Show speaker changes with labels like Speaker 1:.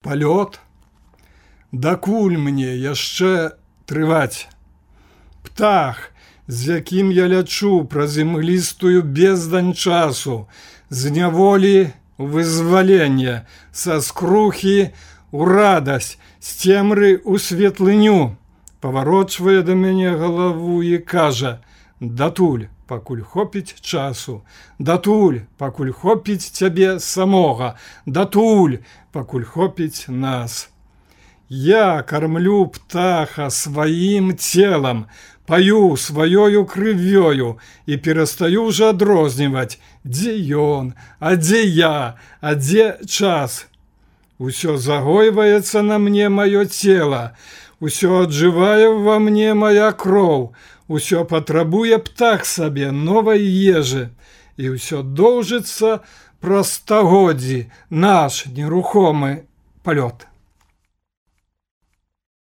Speaker 1: Палёт? Дакуль мне яшчэ трываць? Птах, з якім я лячу праз імглістую бездань часу, з няволі ў вызваленне, са скрухі ў радасць, з цемры ў светлыню, паварочвае да мяне галаву і кажа: датуль, пакуль хопіць часу, датуль, пакуль хопіць цябе самога, датуль, пакуль хопіць нас. Я кармлю птаха сваім целам, паю сваёю крывёю і перастаю ўжо адрозніваць, дзе ён, а дзе я, а дзе час. Усё загойваецца на мне маё цела, усё аджывае ва мне моя кроў, усё патрабуе птах сабе новай ежы, і ўсё доўжыцца праз стагоддзі наш нерухомы палёт.